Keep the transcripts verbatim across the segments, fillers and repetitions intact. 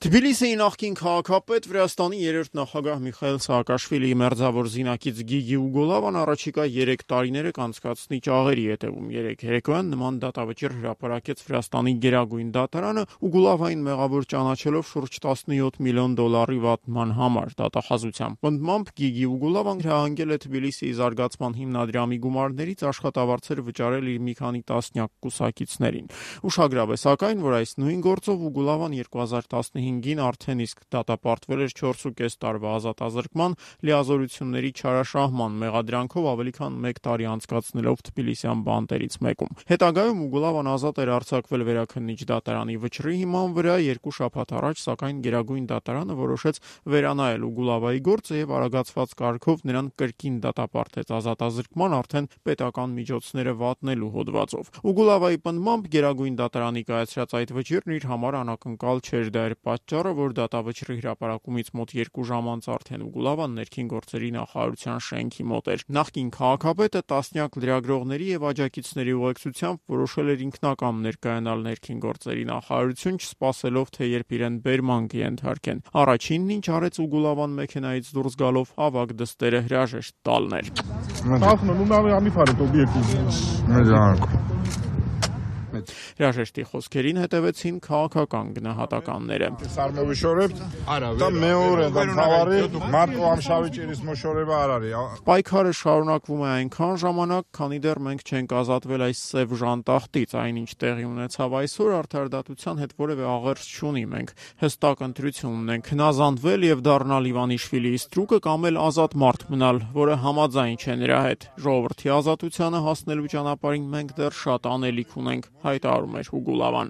Թբիլիսիի նախկին քաղաքապետ Վրաստանի երրորդ նախագահ Միխայիլ Սաակաշվիլիի մերձավոր զինակից Գիգի Ուգոլավան առաջիկա երեք տարիները կանցկացնի ճաղերի հետևում։ Երեկ երեկոյան նման դատավճիռ հրապարակեց Վրաստանի գերագույն դատարանը Ուգոլավային մեղավոր ճանաչելով շուրջ տասնյոթ միլիոն դոլարի վատման համար։ Դատախազության պնդմամբ Գիգի Ուգոլավան հրահանգել է Թբիլիսիի զարգացման հիմնադրամի գումարներից աշխատավարձեր վճարել իր մի քանի տասնյակ կուսակիցներին։ Ուշագրավ է սակայն, որ այս նույն գործով Ուգոլավան երկու հազար տասնհինգին արդեն իսկ դատապարտվել էր չորս ու կես տարվա ազատազրկման, լիազորությունների չարաշահման մեղադրանքով ավելի քան մեկ տարի անցկացնելով թբիլիսյան բանտերից մեկում։ Հետագայում Ուգոլավան ազատ էր արձակվել վերաքննիչ դատարանի վճռի հիման վրա երկու շաբաթ առաջ, սակայն Գերագույն դատարանը որոշեց վերանայել Ուգոլավայի գործը եւ արագացված կարգով նրան կրկին դատապարտեց ազատազրկման արդեն պետական միջոցները վատնելու հոդվածով։ Ուգոլավայի պնդմամբ Գերագույն դատարանի կայացրած այդ վճիռն իր համար անակնկալ չէր, դա էր պատճառը, որ դատավճռի հրապարակումից մոտ երկու ժամ անց արդեն Ուգոլավան ներքին գործերի նախարարության շենքի մոտ էր։ Նախկին քաղաքապետը տասնյակ լրագրողների եւ աջակիցների ուղեկցությամբ որոշել էր ինքնակամ ներկայանալ ներքին գործերի նախարարություն, չսպասելով թե երբ իրեն բերման կենթարկեն։ Առաջինն ինչ արեց Ուգոլավան մեքենայից դուրս գալով ավագ դստերը հրաժեշտ տալն էր։ Հրաժեշտի խոսքերին հետևեցին քաղաքական գնահատականները։ Պայքարը շարունակվում է այնքան ժամանակ, քանի դեռ մենք չենք ազատվել այս սև ժանտախտից, այնինչ տեղի ունեցավ այսօր արդարադատության հետ որևէ աղերս չունի, մենք հստակ ընտրություն ունենք՝ հնազանդվել եւ դառնալ Իվանիշվիլիի ստրուկը կամ էլ ազատ մարդ մնալ, որը համաձայն չէ նրա հետ։ Ժողովրդի ազատությանը հասնելու ճանապարհին մենք դեռ շատ անելիք ունենք, հայտարարում էր Ուգոլավան։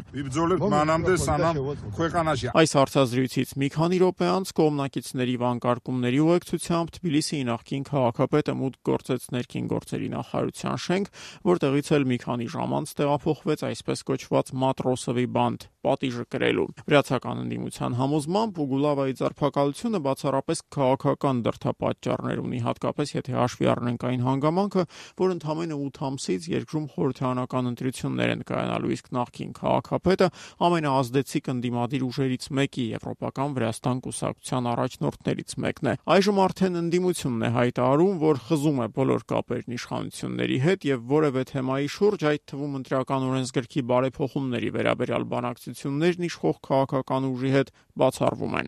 Այս հարցազրույցից մի քանի րոպե անց կողմնակիցների վանկարկումների ուղեկցությամբ Թբիլիսիի նախկին քաղաքապետը մուտք գործեց ներքին գործերի նախարարության շենք, որտեղից էլ մի քանի ժամ անց տեղափոխվեց այսպես կոչված Մատրոսովի բանտ պատիժը կրելու։ Վրացական ընդդիմության համոզմամբ Ուգոլավայի ձերբակալությունը բացառապես քաղաքական դրդապատճառներ ունի, հատկապես եթե հաշվի առնենք այն հանգամանքը, որ ընդամենը ութ ամսից երկրում խորհրդարանական ընտրություններ են կայանալու, իսկ նախկին քաղաքապետը ամենաազդեցիկ ընդդիմադիր ուժերից մեկի Եվրոպական Վրաստան կուսակցության առաջնորդներից մեկն է։ Այժմ արդեն ընդդիմությունն է հայտարարում, որ խզում է բոլոր կապերն իշխանությունների հետ եւ որևէ թեմայի շուրջ, այդ թվում ընտրական օրենսգրքի բարեփոխումների վերաբերյալ բանակցություններն իշխող քաղաքական ուժի հետ բացառվում են։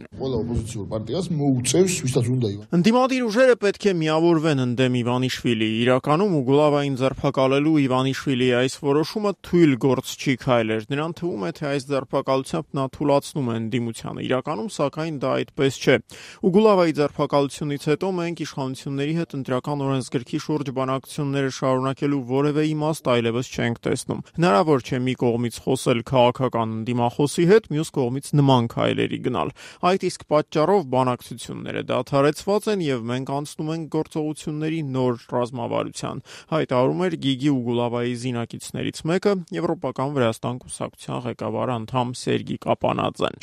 Ընդդիմադիր ուժերը պետք է միավորվեն ընդդեմ Իվանիշվիլիի։ Իրականում Ուգոլավային ձերբակալելու Իվանիշվիլիի այս որոշումը թույլ գործ չի քայլ էր։ Նրան թվում է, թե այս ձերբակալությամբ նա թուլացնում է ընդդիմությանը։ Իրականում, սակայն, դա այդպես չէ։ Ուգոլավայի ձերբակալությունից հետո մենք իշխանությունների հետ ընտրական օրենսգրքի շուրջ բանակցությունները շարունակելու որևէ իմաստ այլևս չենք տեսնում։ Հնարավոր չէ մի կողմից խոսել քաղաքական ընդդիմախոսի հետ, մյուս կողմից նման քայլերի գնալ։ Այդ իսկ պատճառով բանակցությունները դադարեցված են եւ մենք անցնում ենք գործողությունների նոր ռազմավարության, հայտարարում էր Գիգի Ուգոլավայի զինակիցներից մեկը, Եվրոպական Վրաստան կուսակցության ղեկավար անդամ Սերգի Կապանաձեն։